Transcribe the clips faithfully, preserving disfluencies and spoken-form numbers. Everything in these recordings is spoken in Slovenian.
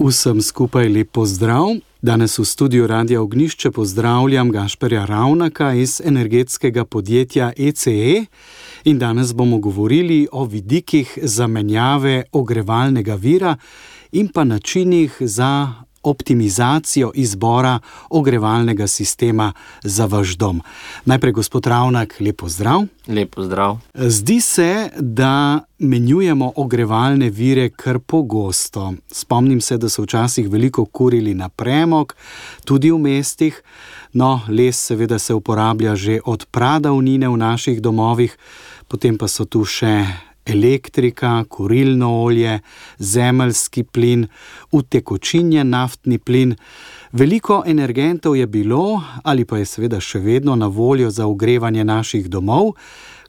Vsem skupaj lep pozdrav. Danes v studiu Radia Ognjišče pozdravljam Gašperja Ravnaka iz energetskega podjetja E C E in danes bomo govorili o vidikih zamenjave ogrevalnega vira in pa načinih za optimizacijo izbora ogrevalnega sistema za vaš dom. Najprej gospod Ravnak, lep pozdrav. Lep pozdrav. Zdi se, da menjujemo ogrevalne vire kar pogosto. Spomnim se, da so včasih veliko kurili na premog, tudi v mestih. No, les seveda se uporablja že od pradavnine v naših domovih, potem pa so tu še elektrika, kurilno olje, zemeljski plin, utekočinjen naftni plin. Veliko energentov je bilo ali pa je seveda še vedno na voljo za ogrevanje naših domov.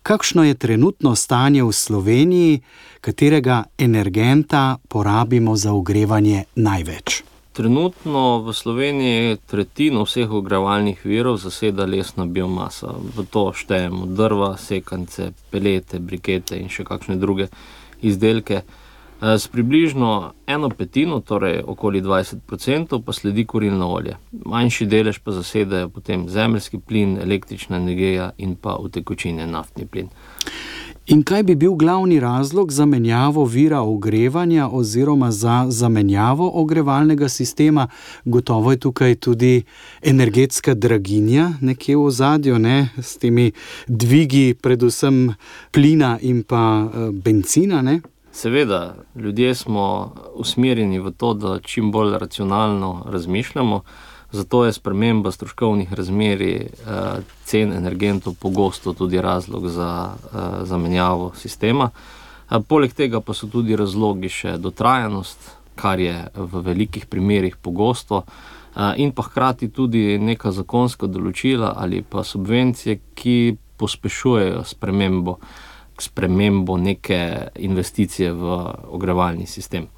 Kakšno je trenutno stanje v Sloveniji, katerega energenta porabimo za ogrevanje največ? Trenutno v Sloveniji tretjino vseh ogrevalnih virov zaseda lesna biomasa. V to štejemo drva, sekance, pelete, brikete in še kakšne druge izdelke. S približno eno petino, torej okoli dvajset procentov, pa sledi kurilno olje. Manjši delež pa zasedajo potem zemeljski plin, električna energija in pa utekočinjen naftni plin. In kaj bi bil glavni razlog za menjavo vira ogrevanja oziroma za zamenjavo ogrevalnega sistema? Gotovo je tukaj tudi energetska draginja nekje v ozadju, ne? S temi dvigi predvsem plina in pa bencina, ne? Seveda, ljudje smo usmerjeni v to, da čim bolj racionalno razmišljamo, zato je sprememba stroškovnih razmerij cen energentov pogosto tudi razlog za zamenjavo sistema. Poleg tega pa so tudi razlogi še dotrajanost, kar je v velikih primerih pogosto, in pa hkrati tudi neka zakonska določila ali pa subvencije, ki pospešujejo spremembo, spremembo neke investicije v ogrevalni sistem.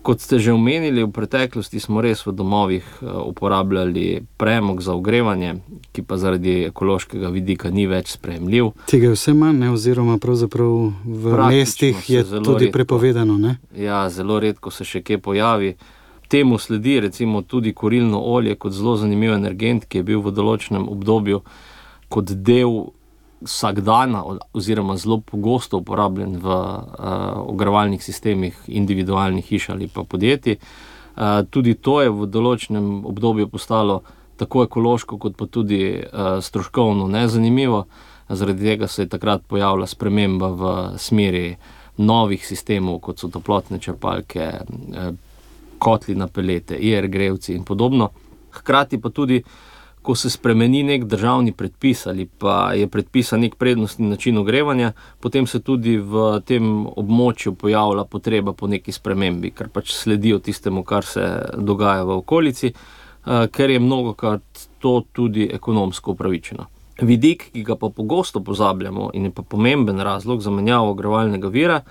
Kot ste že omenili, v preteklosti smo res v domovih uporabljali premog za ogrevanje, ki pa zaradi ekološkega vidika ni več sprejemljiv. Tega je vse manj, ne? Oziroma pravzaprav v mestih je tudi redko prepovedano, ne? Ja, zelo redko se še kje pojavi. Temu sledi recimo tudi kurilno olje kot zelo zanimiv energent, ki je bil v določenem obdobju kot del vsakdana oziroma zelo pogosto uporabljen v uh, ogrevalnih sistemih individualnih hiš ali pa podjetij. Uh, tudi to je v določenem obdobju postalo tako ekološko kot pa tudi uh, stroškovno nezanimivo. Zaradi tega se je takrat pojavila sprememba v smeri novih sistemov, kot so toplotne črpalke, uh, kotli na pelete, I R grelci in podobno. Hkrati pa tudi ko se spremeni nek državni predpis ali pa je predpisan nek prednostni način ogrevanja, potem se tudi v tem območju pojavlja potreba po neki spremembi, ker pač sledijo tistemu, kar se dogaja v okolici, ker je mnogokrat to tudi ekonomsko upravičeno. Vidik, ki ga pa pogosto pozabljamo in je pa pomemben razlog za menjavo ogrevalnega vira,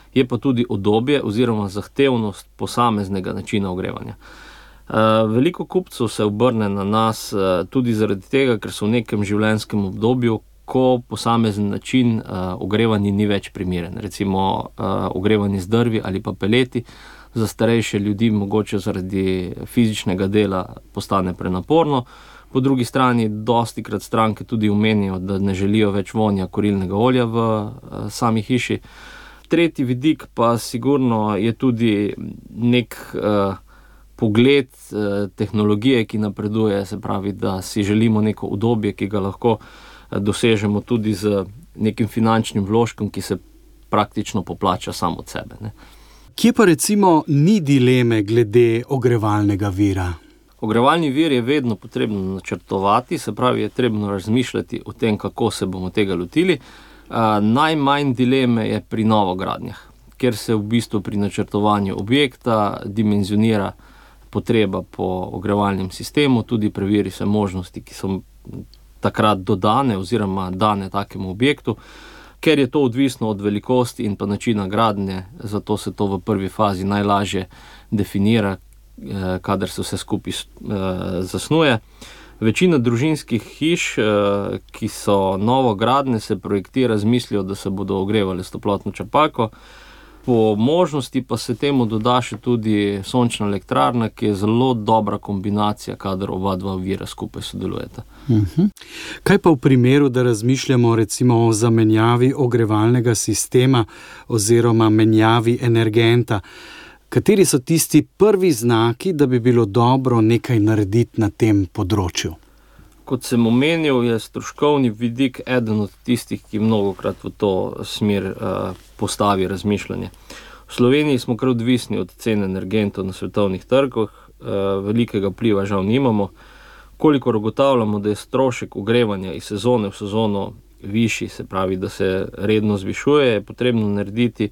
je pa tudi udobje oziroma zahtevnost posameznega načina ogrevanja. Uh, veliko kupcev se obrne na nas uh, tudi zaradi tega, ker so v nekem življenjskem obdobju, ko posamezen način uh, ogrevanja ni več primeren. Recimo uh, ogrevanje z drvi ali pa peleti za starejše ljudi mogoče zaradi fizičnega dela postane prenaporno. Po drugi strani dostikrat stranke tudi omenijo, da ne želijo več vonja kurilnega olja v uh, sami hiši. Tretji vidik pa sigurno je tudi nek uh, pogled eh, tehnologije, ki napreduje, se pravi, da si želimo neko udobje, ki ga lahko eh, dosežemo tudi z nekim finančnim vložkom, ki se praktično poplača sam od sebe, ne. Kje pa recimo ni dileme glede ogrevalnega vira? Ogrevalni vir je vedno potrebno načrtovati, se pravi, je trebno razmišljati o tem, kako se bomo tega lotili. Eh, najmanj dileme je pri novogradnjah, ker se v bistvu pri načrtovanju objekta dimenzionira potreba po ogrevalnem sistemu, tudi preveri se možnosti, ki so takrat dodane oziroma dane takemu objektu, ker je to odvisno od velikosti in pa načina gradnje, zato se to v prvi fazi najlažje definira, kadar se vse skupaj zasnuje. Večina družinskih hiš, ki so novogradnje, se projektira z mislijo, da se bodo ogrevali s toplotno črpalko. Po možnosti pa se temu doda še tudi sončna elektrarna, ki je zelo dobra kombinacija, kadar oba dva vira skupaj sodelujeta. Uh-huh. Kaj pa v primeru, da razmišljamo recimo o zamenjavi ogrevalnega sistema oziroma menjavi energenta? Kateri so tisti prvi znaki, da bi bilo dobro nekaj narediti na tem področju? Kot sem omenil, je stroškovni vidik eden od tistih, ki mnogokrat v to smer uh, postavi razmišljanje. V Sloveniji smo kar odvisni od cen energentov na svetovnih trgih, uh, velikega vpliva žal nimamo. Kolikor ugotavljamo, da je strošek ogrevanja iz sezone v sezono višji, se pravi, da se redno zvišuje, je potrebno narediti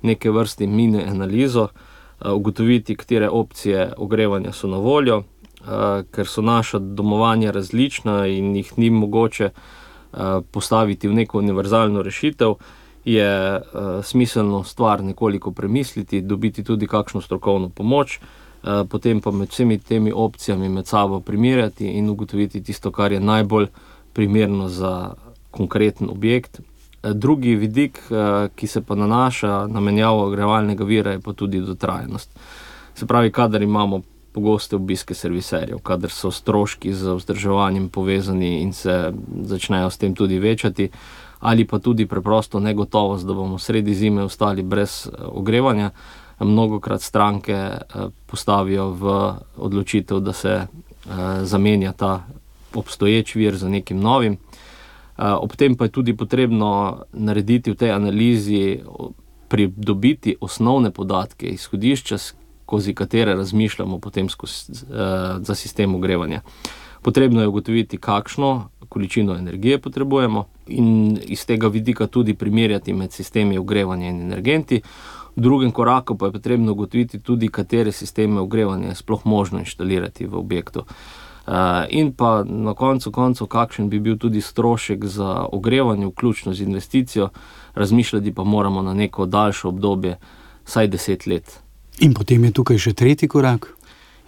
neke vrste mini analizo, uh, ugotoviti, katere opcije ogrevanja so na voljo, Uh, ker so naša domovanja različna in jih ni mogoče uh, postaviti v neko univerzalno rešitev, je uh, smiselno stvar nekoliko premisliti, dobiti tudi kakšno strokovno pomoč, uh, potem pa med vsemi temi opcijami med sabo primerjati in ugotoviti tisto, kar je najbolj primerno za konkreten objekt. Uh, drugi vidik, uh, ki se pa nanaša na menjavo ogrevalnega vira, je pa tudi dotrajanost. Se pravi, kadar imamo pogoste obiske serviserjev, kadar so stroški z vzdrževanjem povezani in se začnejo s tem tudi večati, ali pa tudi preprosto negotovost, da bomo sredi zime ostali brez ogrevanja, mnogokrat stranke postavijo v odločitev, da se zamenja ta obstoječ vir za nekim novim. Ob tem pa je tudi potrebno narediti v tej analizi, pridobiti osnovne podatke, izhodišča, skozi katere razmišljamo potem skozi, uh, za sistem ogrevanja. Potrebno je ugotoviti, kakšno količino energije potrebujemo in iz tega vidika tudi primerjati med sistemi ogrevanja in energenti. V drugem koraku pa je potrebno ugotoviti tudi, katere sisteme ogrevanja je sploh možno inštalirati v objektu. Uh, in pa na koncu koncev, kakšen bi bil tudi strošek za ogrevanje, vključno z investicijo, razmišljati pa moramo na neko daljše obdobje, saj deset let. In potem je tukaj še tretji korak?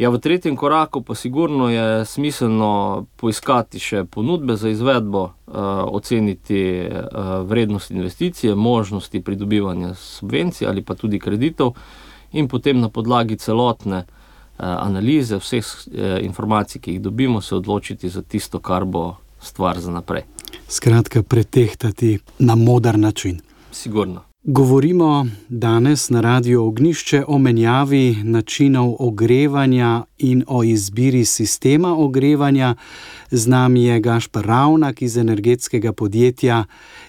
Ja, v tretjem koraku pa sigurno je smiselno poiskati še ponudbe za izvedbo, uh, oceniti uh, vrednost investicije, možnosti pridobivanja subvencij ali pa tudi kreditov in potem na podlagi celotne uh, analize vseh uh, informacij, ki jih dobimo, se odločiti za tisto, kar bo stvar za naprej. Skratka, pretehtati na moder način. Sigurno. Govorimo danes na Radiu Ognjišče o menjavi načinov ogrevanja in o izbiri sistema ogrevanja. Z nami je Gašper Ravnak iz energetskega podjetja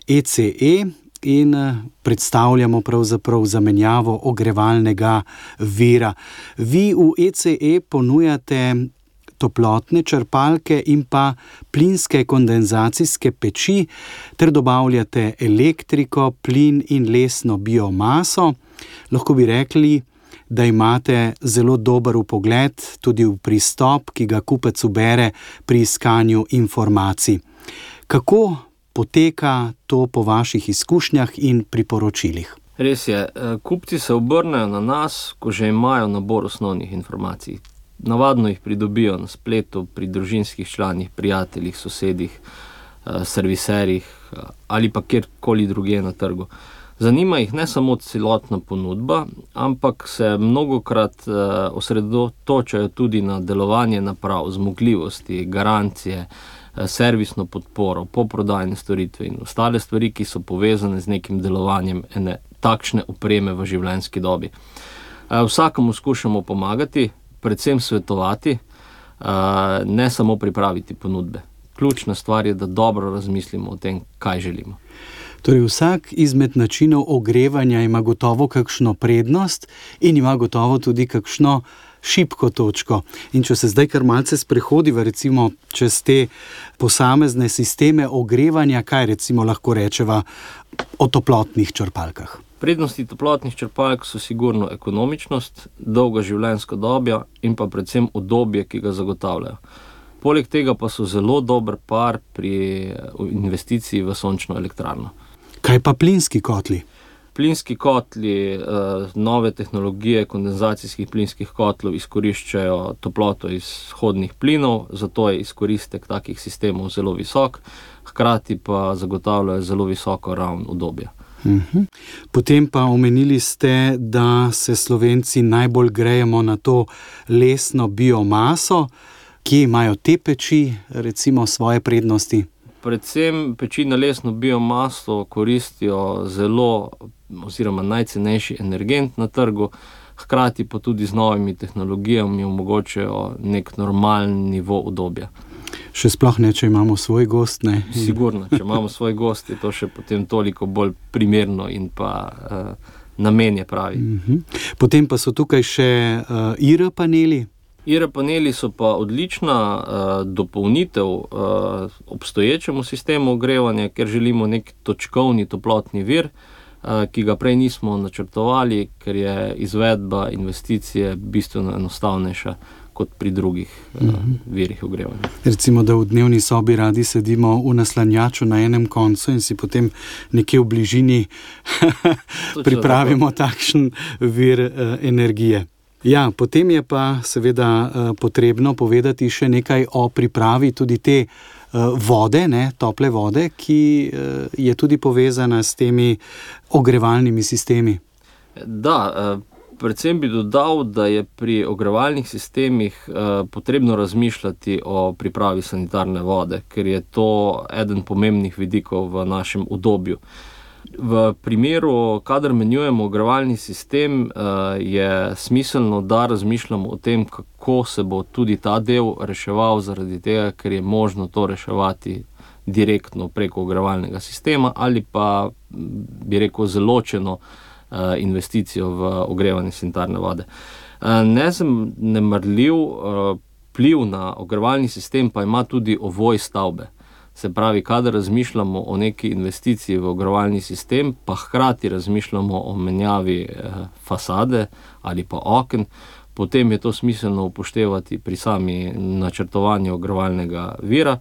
E C E in predstavljamo pravzaprav zamenjavo ogrevalnega vira. Vi v E C E ponujate toplotne črpalke in pa plinske kondenzacijske peči ter dobavljate elektriko, plin in lesno biomaso. Lahko bi rekli, da imate zelo dober vpogled tudi v pristop, ki ga kupec ubere pri iskanju informacij. Kako poteka to po vaših izkušnjah in priporočilih? Res je, kupci se obrnejo na nas, ko že imajo nabor osnovnih informacij. Navadno jih pridobijo na spletu, pri družinskih članih, prijateljih, sosedih, serviserjih ali pa kjerkoli drugje na trgu. Zanima jih ne samo celotna ponudba, ampak se mnogokrat osredotočajo tudi na delovanje naprav, zmogljivosti, garancije, servisno podporo, poprodajne storitve in ostale stvari, ki so povezane z nekim delovanjem ene takšne opreme v življenjski dobi. Vsakemu skušamo pomagati, predvsem svetovati, ne samo pripraviti ponudbe. Ključna stvar je, da dobro razmislimo o tem, kaj želimo. Torej vsak izmed načinov ogrevanja ima gotovo kakšno prednost in ima gotovo tudi kakšno šibko točko. In če se zdaj kar malce sprehodiva recimo čez te posamezne sisteme ogrevanja, kaj recimo lahko rečeva o toplotnih črpalkah? Prednosti toplotnih črpalk so sigurno ekonomičnost, dolga življenjska doba in pa predvsem udobje, ki ga zagotavljajo. Poleg tega pa so zelo dober par pri investiciji v sončno elektrarno. Kaj pa plinski kotli? Plinski kotli, nove tehnologije kondenzacijskih plinskih kotlov izkoriščajo toploto iz vhodnih plinov, zato je izkoristek takih sistemov zelo visok, hkrati pa zagotavljajo zelo visoko raven udobja. Uh-huh. Potem pa omenili ste, da se Slovenci najbolj grejemo na to lesno biomaso. Kje imajo te peči recimo svoje prednosti? Predvsem peči na lesno biomaso koristijo zelo oziroma najcenejši energent na trgu, hkrati pa tudi z novimi tehnologijami omogočajo nek normalen nivo udobja. Še sploh ne, če imamo svoj gozd, ne? Sigurno, če imamo svoj gozd, je to še potem toliko bolj primerno in pa uh, namen je pravi. Uh-huh. Potem pa so tukaj še uh, I R paneli. I R paneli so pa odlična uh, dopolnitev uh, obstoječemu sistemu ogrevanja, ker želimo nek točkovni toplotni vir, uh, ki ga prej nismo načrtovali, ker je izvedba investicije bistveno enostavnejša kot pri drugih uh, virih ogrevanja. Recimo, da v dnevni sobi radi sedimo v naslanjaču na enem koncu in si potem nekje v bližini pripravimo takšen vir uh, energije. Ja, potem je pa seveda uh, potrebno povedati še nekaj o pripravi tudi te uh, vode, ne, tople vode, ki uh, je tudi povezana s temi ogrevalnimi sistemi. Da, uh, predvsem bi dodal, da je pri ogrevalnih sistemih uh, potrebno razmišljati o pripravi sanitarne vode, ker je to eden pomembnih vidikov v našem udobju. V primeru, kadar menjujemo ogrevalni sistem, uh, je smiselno, da razmišljamo o tem, kako se bo tudi ta del reševal, zaradi tega, ker je možno to reševati direktno preko ogrevalnega sistema ali pa, bi rekel, zeločeno investicijo v ogrevanje sanitarne vode. Nezanemarljiv vpliv na ogrevalni sistem pa ima tudi ovoj stavbe. Se pravi, kadar razmišljamo o neki investiciji v ogrevalni sistem, pa hkrati razmišljamo o menjavi fasade ali pa oken, potem je to smiselno upoštevati pri sami načrtovanju ogrevalnega vira,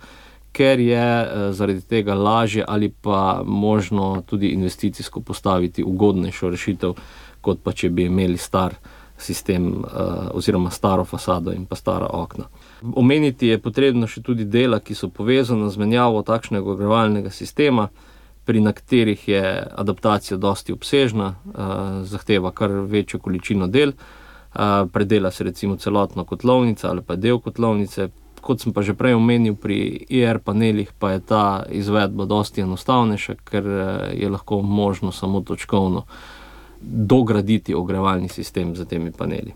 ker je zaradi tega lažje ali pa možno tudi investicijsko postaviti ugodnejšo rešitev, kot pa če bi imeli star sistem oziroma staro fasado in pa stara okna. Omeniti je potrebno še tudi dela, ki so povezana z menjavo takšnega ogrevalnega sistema, pri katerih je adaptacija dosti obsežna, zahteva kar večjo količino del, predela se recimo celotna kotlovnica ali pa del kotlovnice. Kot sem pa že prej omenil, pri I R panelih pa je ta izvedba dosti enostavnejša, ker je lahko možno samo točkovno dograditi ogrevalni sistem za temi paneli.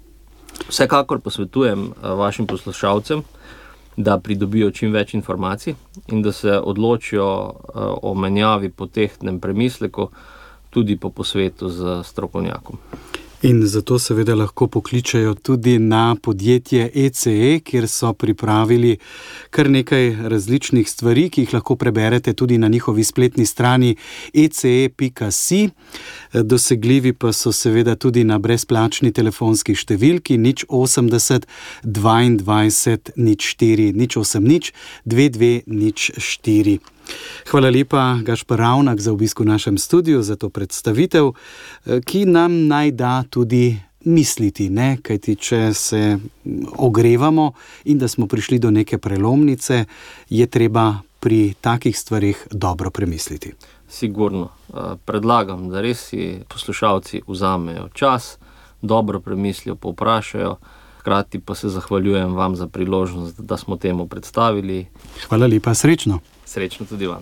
Vsekakor posvetujem vašim poslušalcem, da pridobijo čim več informacij in da se odločijo o menjavi po tehtnem premisleku, tudi po posvetu z strokovnjakom. In zato seveda lahko pokličejo tudi na podjetje E C E, kjer so pripravili kar nekaj različnih stvari, ki jih lahko preberete tudi na njihovi spletni strani e c e pika si. Dosegljivi pa so seveda tudi na brezplačni telefonski številki nič osemdeset dvaindvajset nič štiri nič osem nič dve dve nič štiri. Hvala lepa, Gašper Ravnak, za obisk v našem studiu, za to predstavitev, ki nam naj da tudi misliti, ne? Kajti če se ogrevamo in da smo prišli do neke prelomnice, je treba pri takih stvarih dobro premisliti. Sigurno. Predlagam, da res si poslušalci vzamejo čas, dobro premislijo, povprašajo, hkrati pa se zahvaljujem vam za priložnost, da smo temu predstavili. Hvala lepa, srečno. Srečno tudi vam.